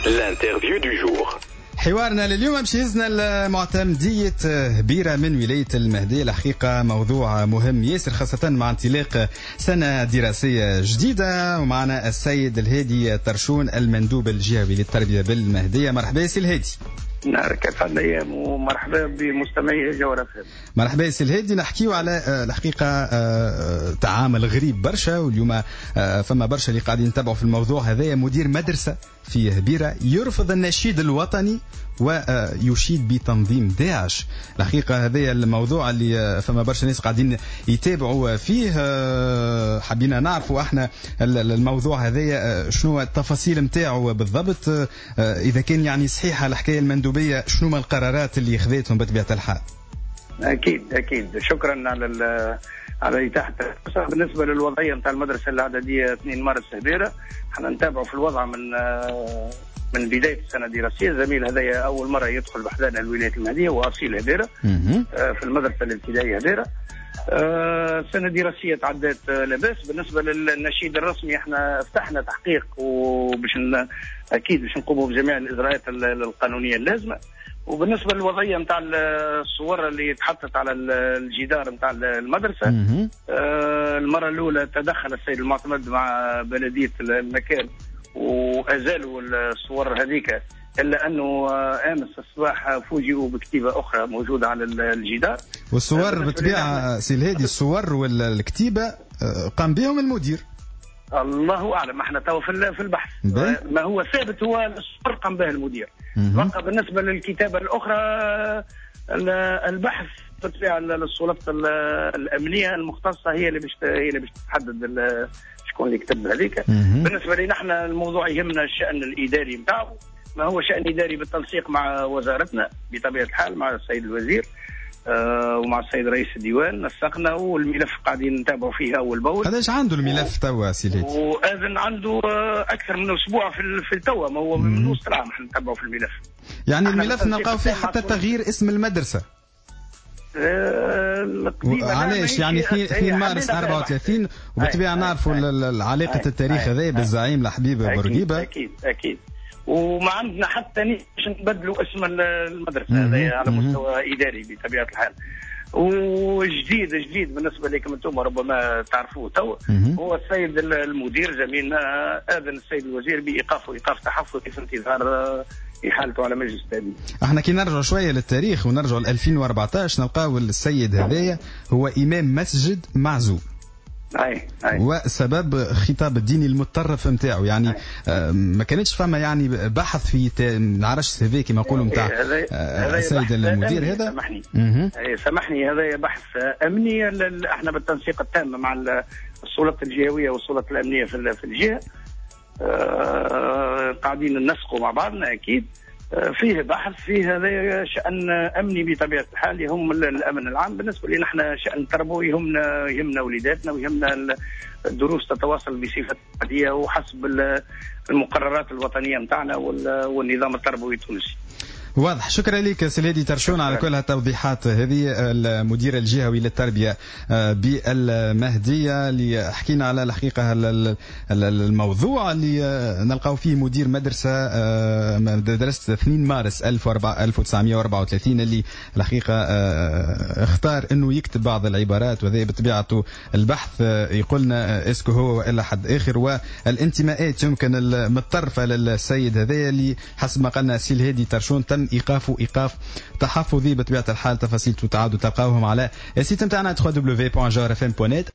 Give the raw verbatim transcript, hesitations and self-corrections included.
L'interview du jour. حوارنا لليوم باش يهزنا لمعتمدية هبيرة من ولاية المهدية. الحقيقة موضوع مهم ياسر، خاصة مع انطلاق سنة دراسية جديدة، ومعنا السيد الهادي ترشون المندوب الجهوي للتربية بالمهدية. مرحبا سي الهادي. نهارك اسعد الايام ومرحبا بمستمعي جوهرة. مرحبا سي الهادي. نحكيو على آه، الحقيقة آه، تعامل غريب برشا، واليوم آه، فما برشا اللي قاعدين يتابعوا في الموضوع هذايا. مدير مدرسه في هبيره يرفض النشيد الوطني ويشيد بتنظيم داعش. الحقيقة هذا الموضوع اللي فما برشا ناس قاعدين يتابعوا فيه. حبينا نعرفوا احنا الموضوع هذايا شنو التفاصيل نتاعو بالضبط، اذا كان يعني صحيحه الحكاية المندوبيه، شنو ما القرارات اللي خذتهم بطبيعة الحال. اكيد اكيد، شكرا على على اتاحة الفرصة. بالنسبة للوضعيه نتاع المدرسة الاعدادية اثنين مارس هبيره، احنا نتابعوا في الوضع من من بداية السنة الدراسية. الزميل هذايا اول مرة يدخل بحذانا الولاية المهدية واصيل هبيره في المدرسة الابتدائية هبيره. السنة الدراسية تعدت لاباس. بالنسبة للنشيد الرسمي احنا فتحنا تحقيق، وباش اكيد باش نقوموا بجميع الاجراءات القانونية اللازمة. وبالنسبة للوضعيه نتاع الصور اللي تحطت على الجدار نتاع المدرسة، آه المرة الاولى تدخل السيد المعتمد مع بلديه المكان وازالوا الصور هذيك، الا انه امس الصباح فوجئوا بكتيبه اخرى موجودة على الجدار. والصور بالطبيعة سي الهادي، الصور والكتيبه قام بهم المدير. الله اعلم، احنا تو في البحث. ما هو ثابت هو الصور قام به المدير. بقى بالنسبة للكتابة الاخرى البحث بالطبيعة السلطات الامنية المختصة هي اللي باش هي اللي باش تحدد شكون اللي كتب هذيك. بالنسبة لنا احنا الموضوع يهمنا الشان الاداري نتاعو، ما هو شان اداري بالتنسيق مع وزارتنا بطبيعة الحال، مع السيد الوزير آه ومع السيد رئيس الديوان نسقنا، والملف قاعدين نتابعوا فيه اول باول. قداش عنده الملف توا سي الهادي؟ واذن عنده اكثر من اسبوع في في التوا، ما هو من وسط العام احنا نتابعوا في الملف. يعني الملف نلقاو فيه حتى تغيير اسم المدرسة. آه علاش يعني اثنين مارس أربعة وثلاثين، وبالطبيعه نعرفوا علاقة التاريخ هذا بالزعيم الحبيب بورقيبة. اكيد اكيد، وما عندنا حتى نية باش نبدلوا اسم المدرسة هذا على مستوى اداري بطبيعة الحال. وجديد جديد بالنسبة لكم انتم ربما تعرفوه تو، هو السيد المدير زميلنا اذن السيد الوزير بايقافه ايقاف تحفظي في انتظار احالته على مجلس التأديب. احنا كي نرجع شوية للتاريخ ونرجع ل ألفين وأربعطاش نلقاو السيد هذايا هو امام مسجد معزول. أي أي. وسبب خطاب الديني المتطرف نتاعو، يعني آه ما كانتش فما يعني بحث في نعرفش هذا كما نقولوا نتاع السيد المدير هذا. سامحني سامحني، هذا بحث امني. احنا بالتنسيق التام مع السلطات الجهوية والسلطات الامنية في الجهة آه قاعدين ننسقوا مع بعضنا. اكيد فيه بحث فيه هذا شأن أمني بطبيعة الحال يهم الأمن العام. بالنسبة لنا احنا شأن تربوي يهمنا يهمنا وليداتنا ويهمنا الدروس تتواصل بصفة عادية وحسب المقررات الوطنية نتاعنا والنظام التربوي التونسي. واضح. شكرا لك سي الهادي ترشون على كل هالتوضيحات هذه، المدير الجهوي للتربية بالمهديه، اللي حكينا على الحقيقة الموضوع اللي نلقاو فيه مدير مدرسه مدرسه اثنين مارس ألف وتسعمئة وأربعة وثلاثين اللي الحقيقة اختار انه يكتب بعض العبارات، وهذا بطبيعته البحث يقولنا est-ce que هو والا حد اخر، والانتماءات يمكن المتطرفة للسيد هذا اللي حسب ما قالنا سي الهادي ترشون تم ايقافه ايقاف تحفظي بطبيعة الحال. تفاصيل تعادوا تلقاوهم على ال site نتاعنا دبليو دبليو دبليو دوت جوهرة اف ام دوت نت.